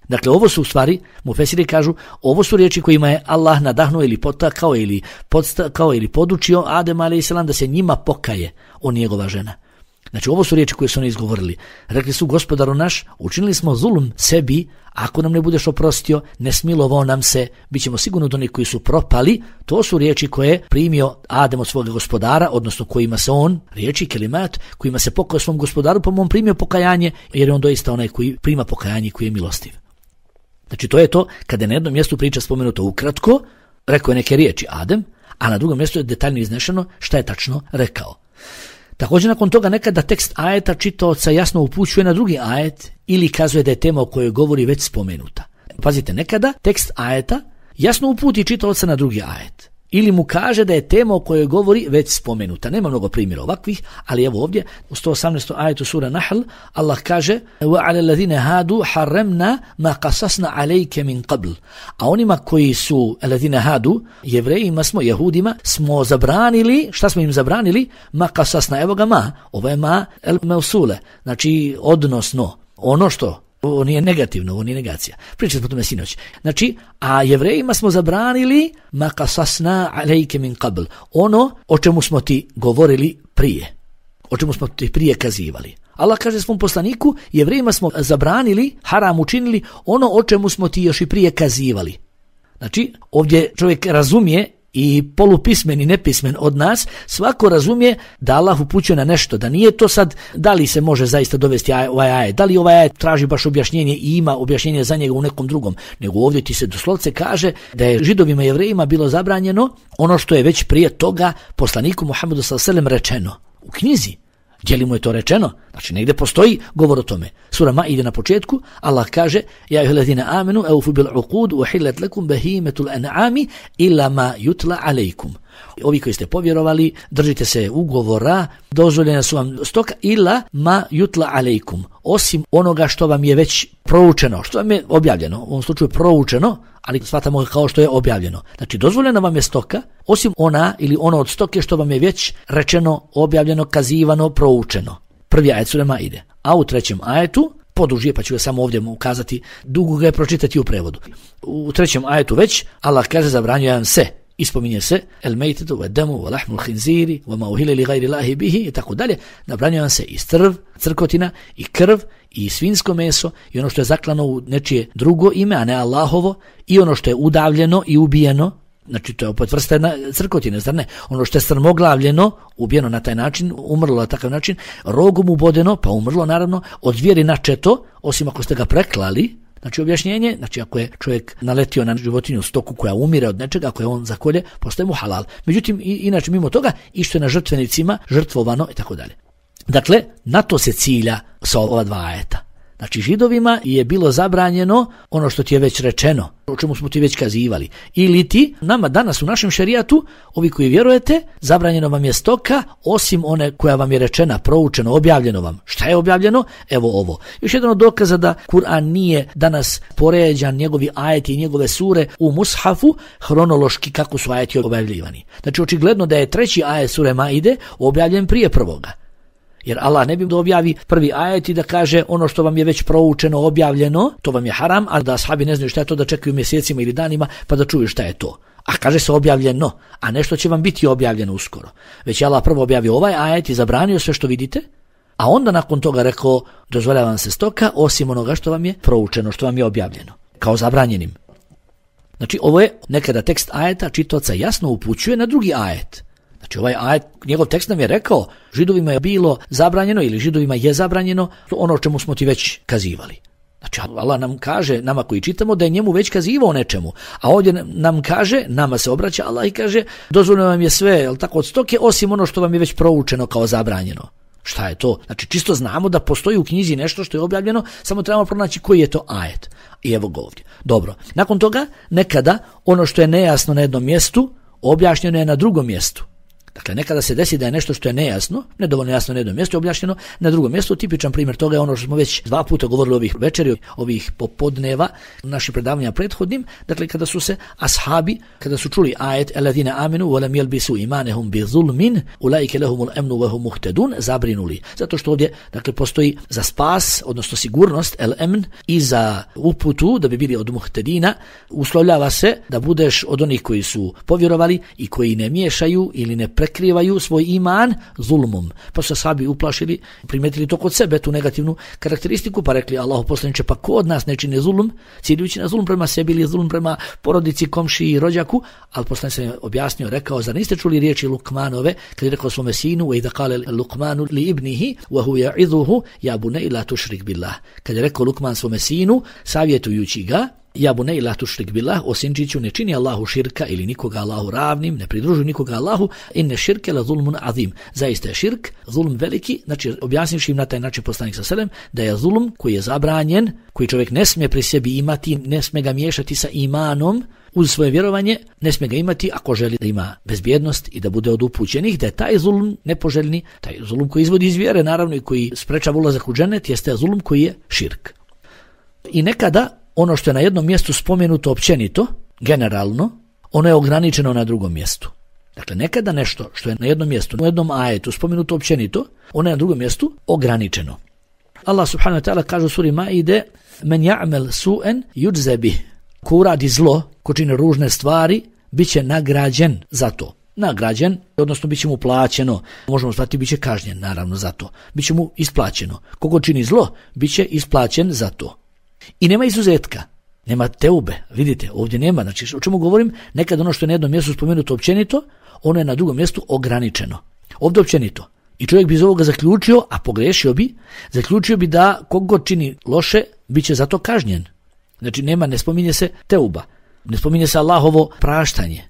Dakle, ovo su u stvari, mufesiri kažu, ovo su riječi kojima je Allah nadahnuo ili potakao ili podstakao ili podučio Adem a.s. da se njima pokaje, on i njegova žena. Znači, ovo su riječi koje su oni izgovorili. Rekli su, gospodaru naš, učinili smo zulum sebi, ako nam ne budeš oprostio, ne smilovao nam se, bit ćemo sigurno od onih koji su propali. To su riječi koje je primio Adem od svoga gospodara, odnosno kojima se on, riječi kelimat, kojima se pokao svom gospodaru, pa mu on primio pokajanje, jer je on doista onaj koji prima pokajanje, koji je milostiv. Znači to je to kada je na jednom mjestu priča spomenuto ukratko, rekao je neke riječi Adem, a na drugom mjestu je detaljno iznešeno šta je tačno rekao. Također nakon toga nekada tekst ajeta čitaoca jasno upućuje na drugi ajet ili kazuje da je tema o kojoj govori već spomenuta. Pazite, nekada tekst ajeta jasno uputi čitaoca na drugi ajet ili mu kaže da je tema o kojoj govori već spomenuta. Nema mnogo primjera ovakvih, ali evo ovdje u 118. ajetu sura Nahl Allah kaže وَعَلَى الَّذِينَ هَادُوا حَرَّمْنَا مَا قَصَصْنَا عَلَيْكَ مِنْ قَبْلِ. A onima koji su الَّذِينَ هَادُوا, jevrejima smo, jehudima, smo zabranili, šta smo im zabranili? مَا قَصَصْنَا, evo ga ma, ovo je ma el meusule, znači odnosno, ono što, ovo nije negativno, ovo nije negacija. Pričali smo tome sinoć. Znači, a jevrejima smo zabranili ma qasasna alejke min qabl, ono o čemu smo ti govorili prije, o čemu smo ti prije kazivali. Allah kaže svom poslaniku, jevrejima smo zabranili, haram učinili ono o čemu smo ti još i prije kazivali. Znači, ovdje čovjek razumije, i polupismen i nepismen od nas, svako razumije da Allah upućuje na nešto, da nije to sad da li se može zaista dovesti ovaj ajet, da li ovaj ajet traži baš objašnjenje i ima objašnjenje za njega u nekom drugom, nego ovdje ti se doslovce kaže da je Židovima i Jevrejima bilo zabranjeno ono što je već prije toga poslaniku Muhammedu s.a.v. rečeno u knjizi. Gdje li mu je to rečeno? Znači negdje postoji govor o tome. Sura Maide na početku Allah kaže ja ayyuhallazina amanu awfu bil uqud uhillat lakum bahimatul an'ami illa ma yutla alaykum. Ovi koji ste povjerovali, držite se ugovora, dozvoljena su vam stoka illa ma yutla alaykum, osim onoga što vam je već proučeno, što vam je objavljeno, u ovom slučaju proučeno, ali shvatamo kao što je objavljeno. Znači dozvoljena vam je stoka, osim ona ili ono od stoke što vam je već rečeno, objavljeno, kazivano, proučeno. Prvi ajet sure Maide. A u trećem ajetu, podužije, pa ću ga samo ovdje ukazati, dugo ga je pročitati u prevodu. U trećem ajetu već Allah kaže zabranjuje vam se. Ispominje se el mejtetu, wa damu, wa lahmul khinziri, wa ma uhile li gajri lahi bihi i tako dalje. Zabranjuje vam se i strv, crkotina, i krv, i svinsko meso, i ono što je zaklano u nečije drugo ime, a ne Allahovo, i ono što je udavljeno i ubijeno, znači to je opet vrsta crkotine, zar ne? Ono što je strmoglavljeno, ubijeno na taj način, umrlo na takav način, rogom ubodeno, pa umrlo naravno, od zvijeri načeto, osim ako ste ga preklali. Znači objašnjenje, znači ako je čovjek naletio na životinju stoku koja umire od nečega, ako je on zakolje, postaje mu halal. Međutim, inače mimo toga, i što je na žrtvenicima žrtvovano i tako dalje. Dakle, na to se cilja sa ova dva ajeta. Znači Židovima je bilo zabranjeno ono što ti je već rečeno, o čemu smo ti već kazivali. Ili ti, nama danas u našem šerijatu, ovi koji vjerujete, zabranjeno vam je stoka, osim one koja vam je rečena, proučeno, objavljeno vam. Šta je objavljeno? Evo ovo. Još jedan od dokaza da Kur'an nije danas poređan, njegovi ajeti i njegove sure u mushafu, hronološki kako su ajeti objavljivani. Znači očigledno da je treći ajet sure Maide objavljen prije prvoga. Jer Allah ne bi da objavi prvi ajet i da kaže ono što vam je već proučeno, objavljeno, to vam je haram, a da ashabi ne znaju šta je to, da čekaju mjesecima ili danima pa da čuju šta je to. A kaže se objavljeno, a nešto će vam biti objavljeno uskoro. Već je Allah prvo objavio ovaj ajet i zabranio sve što vidite, a onda nakon toga rekao dozvoljava vam se stoka osim onoga što vam je proučeno, što vam je objavljeno, kao zabranjenim. Znači ovo je nekada tekst ajeta čitaoca jasno upućuje na drugi ajet. Znači ovaj ajet, njegov tekst nam je rekao Židovima je bilo zabranjeno ili Židovima je zabranjeno ono o čemu smo ti već kazivali. Znači Allah nam kaže, nama koji čitamo, da je njemu već kazivao nečemu, a ovdje nam kaže, nama se obraća Allah i kaže dozvoljeno vam je sve, jel tako, od stoke osim ono što vam je već proučeno kao zabranjeno. Šta je to? Znači čisto znamo da postoji u knjizi nešto što je objavljeno, samo trebamo pronaći koji je to ajet. I evo ga ovdje. Dobro, nakon toga nekada ono što je nejasno na jednom mjestu objašnjeno je na drugom mjestu. Dakle, nekada se desi da je nešto što je nejasno, nedovoljno jasno na jednom mjestu objašnjeno, na drugom mjestu. Tipičan primjer toga je ono što smo već 2 puta govorili ovih večeri, ovih popodneva, naših predavanja prethodnim. Dakle, kada su se ashabi, kada su čuli ajet alladhina amanu wa lam yalbisu imanahum bi zulmin ulaika lahumul amnu wa hum muhtadun, zabrinuli. Zato što ovdje, dakle, postoji za spas, odnosno sigurnost, el-amn, i za uputu, da bi bili od muhtedina, uslovljava se da budeš od onih koji su povjerovali i koji ne miješaju ili ne prekrivaju svoj iman zulmom. Pa su ashabi uplašili, primetili to kod sebe, tu negativnu karakteristiku, pa rekli Allahu poslaniče, pa ko od nas ne čini zulum, ciljujući na zulum prema sebi ili zulum prema porodici, komšiji i rođaku, ali poslanik se objasnio, rekao, zar niste čuli riječi Lukmanove, kad je rekao svome sinu, wa idha qala Lukmanu li ibnihi, wa huwa ya'idhuhu, ya bunay la tushrik billah. Kad je rekao Lukman svome sinu, savjetujući ga Ja bunay la tušrik billah, o sinčiću, ne čini Allahu širka ili nikoga Allahu ravnim, ne pridružuj nikoga Allahu, inne širke la zulmun azim. Zaista je širk, zulm veliki, znači objasnivši im na taj način poslanik sallallahu alejhi ve sellem da je zulm koji je zabranjen, koji čovjek ne smije pri sebi imati, ne smije ga miješati sa imanom, uz svoje vjerovanje, ne smije ga imati ako želi da ima bezbjednost i da bude od upućenih, da je taj zulm nepoželjni, taj zulm koji izvodi iz vjere, naravno i koji sprečava ulazak u džennet, jeste zulm koji je širk. I nekada ono što je na jednom mjestu spomenuto općenito, generalno, ono je ograničeno na drugom mjestu. Dakle, nekada nešto što je na jednom mjestu, u jednom ajetu spomenuto općenito, ono je na drugom mjestu ograničeno. Allah subhanahu wa ta'ala kaže u suri Maide: "Men ya'mal su'an yujza bih." Ko uradi zlo, ko čini ružne stvari, bit će nagrađen za to. Nagrađen, odnosno bit će mu plaćeno. Možemo shvatiti, bit će kažnjen, naravno, za to. Bit će mu isplaćeno. Kogo čini zlo, bit će isplaćen za to. I nema izuzetka. Nema teube. Vidite, ovdje nema. Znači, o čemu govorim? Nekad ono što je na jednom mjestu spomenuto općenito, ono je na drugom mjestu ograničeno. Ovdje općenito. I čovjek bi iz ovoga zaključio, a pogrešio bi, zaključio bi da kogod čini loše, bit će za to kažnjen. Znači nema, ne spominje se teuba, ne spominje se Allahovo praštanje.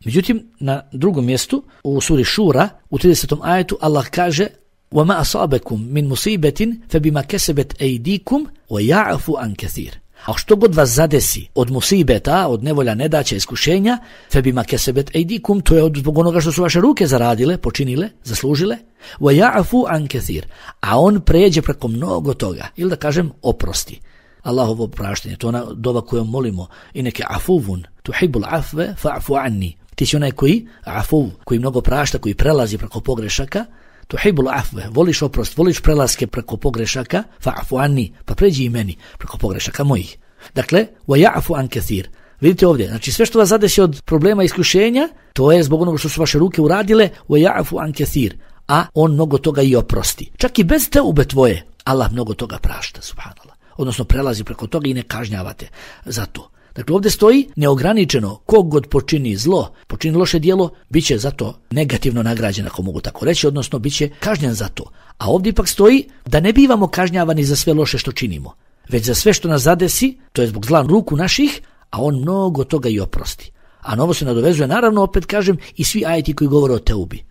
Međutim, na drugom mjestu, u suri Šura, u 30. ajetu, Allah kaže: وَمَا أَصَابَكُمْ مِنْ مُصِيبَةٍ فَبِمَا كَسَبَتْ أَيْدِيكُمْ وَيَعْفُ عَنْ كَثِيرٍ. A što god vas zadesi od musibeta, od nevolja, nedaća, iskušenja, فَبِمَا كَسَبَتْ أَيْدِيكُمْ, to je zbog onoga što su vaše ruke zaradile, počinile, zaslužile, وَيَعْفُ عَنْ كَثِيرٍ. A on pređe preko mnogo toga, ili da kažem oprosti. Allahovo praštanje, to je ona dova kojom molimo: ineke afuvun tuhibul afve fa'fu anni. Ti si onaj koji afuv, koji mnogo prašta, koji prelazi preko pogrešaka, tuhibul afve, voliš oprost, voliš prelaske preko pogrešaka, fa'fu anni, pa pređi i meni preko pogrešaka mojih. Dakle, wa ya'fu an kathir. Vidite ovdje, znači sve što vas zadesi od problema i iskušenja, to je zbog onoga što su vaše ruke uradile, wa ya'fu an kathir, a on mnogo toga i oprosti. Čak i bez teube tvoje, Allah mnogo toga prašta, subhanallah. Odnosno prelazi preko toga i ne kažnjavate za to. Dakle, ovdje stoji neograničeno, kogod počini zlo, počini loše djelo, bit će za to negativno nagrađen, ako mogu tako reći, odnosno bit će kažnjen za to. A ovdje ipak stoji da ne bivamo kažnjavani za sve loše što činimo, već za sve što nas zadesi, to je zbog zla ruku naših, a on mnogo toga i oprosti. A na ovo se nadovezuje, naravno, opet kažem, i svi ajeti koji govore o teubi.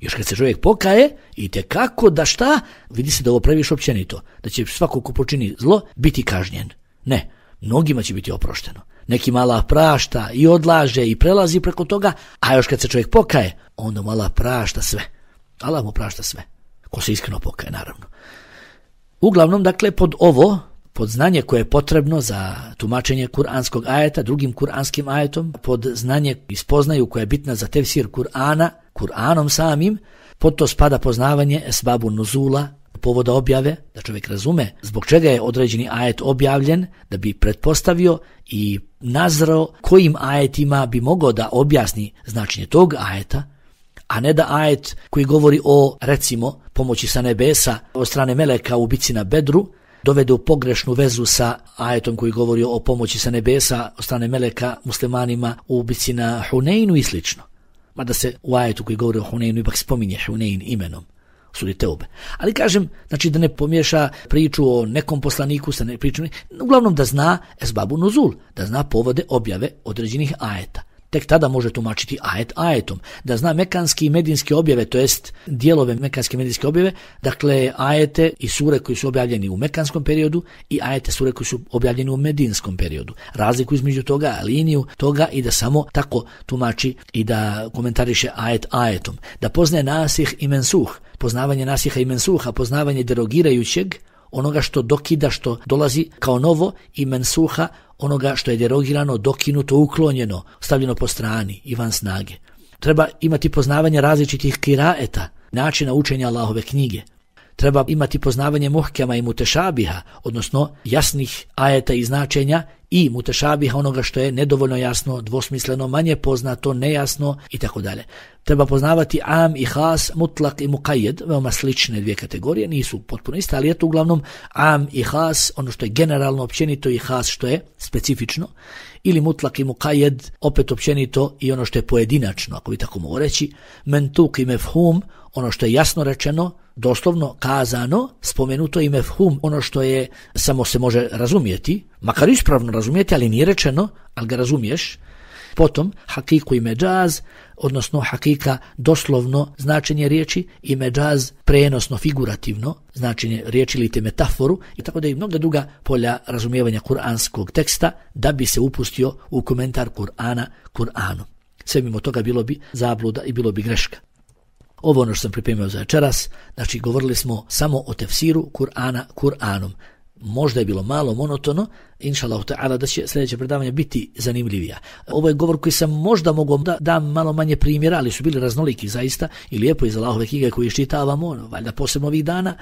Još kad se čovjek pokaje, i tekako da šta, vidi se da ovo previše općenito, da će svako ko počini zlo biti kažnjen. Ne, mnogima će biti oprošteno. Nekima Allah prašta i odlaže i prelazi preko toga, a još kad se čovjek pokaje, onda mu Allah prašta sve. Allah mu prašta sve. Ko se iskreno pokaje, naravno. Uglavnom, dakle, pod znanje koje je potrebno za tumačenje kuranskog ajeta, drugim kuranskim ajetom, pod znanje i spoznaju koja je bitna za tefsir Kur'ana, Kur'anom samim, pod to spada poznavanje esbabu nuzula, povoda objave, da čovjek razume zbog čega je određeni ajet objavljen, da bi pretpostavio i nazrao kojim ajetima bi mogao da objasni značenje tog ajeta, a ne da ajet koji govori o, recimo, pomoći sa nebesa od strane meleka u bici na Bedru, dovede u pogrešnu vezu sa ajetom koji govori o pomoći sa nebesa od strane meleka muslimanima u bici na Huneinu i slično. Mada se u ajetu koji govori o Huneinu ipak spominje Hunein imenom, suri Teube. Ali kažem, znači da ne pomiješa priču o nekom poslaniku sa pričom, uglavnom da zna esbabu nuzul, da zna povode objave određenih ajeta. Tek tada može tumačiti ajet ajetom. Da zna mekanski i medinske objave, to jest dijelove mekanske i medinske objave, dakle ajete i sure koji su objavljeni u mekanskom periodu i ajete sure koji su objavljeni u medinskom periodu. Razliku između toga, liniju toga i da samo tako tumači i da komentariše ajet ajetom. Da poznaje nasih i mensuh, poznavanje nasiha i mensuha, poznavanje derogirajućeg, onoga što dokida, što dolazi kao novo, i mensuha, onoga što je derogirano, dokinuto, uklonjeno, stavljeno po strani i van snage. Treba imati poznavanje različitih kiraeta, načina učenja Allahove knjige. Treba imati poznavanje muhkema i mutešabiha, odnosno jasnih ajeta i značenja, i mutešabiha, onoga što je nedovoljno jasno, dvosmisleno, manje poznato, nejasno itd. Treba poznavati am i has, mutlak i muqayyad, veoma slične dvije kategorije, nisu potpuno iste, ali je to uglavnom am i has, ono što je generalno općenito, i has što je specifično, ili mutlak i muqayyad, opet općenito, i ono što je pojedinačno, ako bi tako mogu reći, mentuk i mefhum, ono što je jasno rečeno, doslovno kazano, spomenuto i mefhum, ono što je samo se može razumjeti, makar ispravno razumjeti, ali nije rečeno, ali ga razumiješ. Potom hakiku i međaz, odnosno hakika doslovno značenje riječi i međaz prenosno, figurativno značenje riječi ili te metaforu, i tako da i mnoga druga polja razumijevanja kuranskog teksta da bi se upustio u komentar Kur'ana Kur'anu. Sve mimo toga bilo bi zabluda i bilo bi greška. Ovo ono što sam pripremio za večeras, znači govorili smo samo o tefsiru Kur'ana Kur'anom. Možda je bilo malo monotono, inšallahu ta'ala da će sljedeće predavanje biti zanimljivija. Ovo je govor koji sam možda mogao da dam malo manje primjera, ali su bili raznoliki zaista i lijepo iz Allahove knjige koji iščitavamo, valjda posebno ovih dana,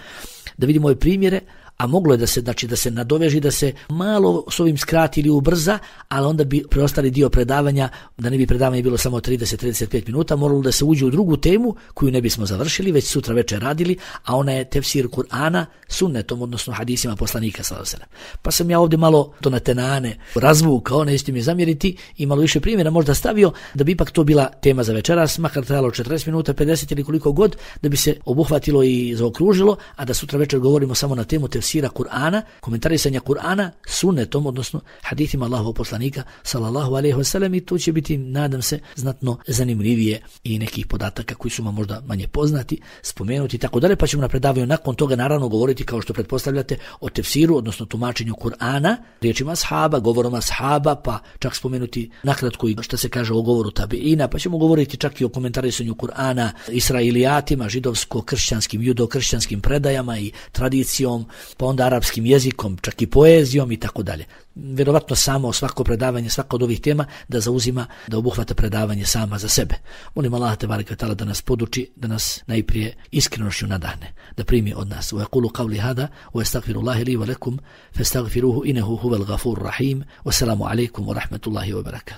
da vidimo ove primjere, a moglo je da se, znači, da se nadoveži, da se malo s ovim skrati ili ubrza, ali onda bi preostali dio predavanja, da ne bi predavanje bilo samo 30-35 minuta, moralo da se uđe u drugu temu koju ne bismo završili, već sutra večer radili, a ona je tefsir Kur'ana sunnetom, odnosno hadisima poslanika sallallahu alejhi ve sellem. Pa sam ja ovdje malo to na tenane razvukao, nećete mi zamjeriti, i malo više primjera možda stavio, da bi ipak to bila tema za večeras, makar trajalo 40 minuta, 50 ili koliko god, da bi se obuhvatilo i zaokružilo, a da sutra večer govorimo samo na temu tefsira Kur'ana, komentarisanja Kur'ana sunnetom, odnosno hadithima Allahovog poslanika sallallahu alejhi ve sellem, i to će biti, nadam se, znatno zanimljivije i nekih podataka koji su vam možda manje poznati, spomenuti i tako dalje, pa ćemo na predavanju nakon toga naravno govoriti, kao što pretpostavljate, o tefsiru, odnosno tumačenju Kur'ana, riječima ashaba, govorom ashaba, pa čak spomenuti nakratko i što se kaže o govoru tabiina, pa ćemo govoriti čak i o komentarisanju Kur'ana israilijatima, židovsko-kršćanskim, judo-kršćanskim predajama i tradicijom, pa onda arapskim jezikom, čak i poezijom i tako dalje. Vjerovatno samo svako predavanje, svaka od ovih tema da zauzima, da obuhvata predavanje sama za sebe. Molim Allah tebareke ve taala da nas poduči, da nas najprije iskrenošću nadahne, da primi od nas. Wa yaqulu qawli hada wa astaghfirullaha li wa lakum fastaghfiruhu innahu huwal ghafurur rahim. Wassalamu alaikum wa rahmatullahi wa barakatuh.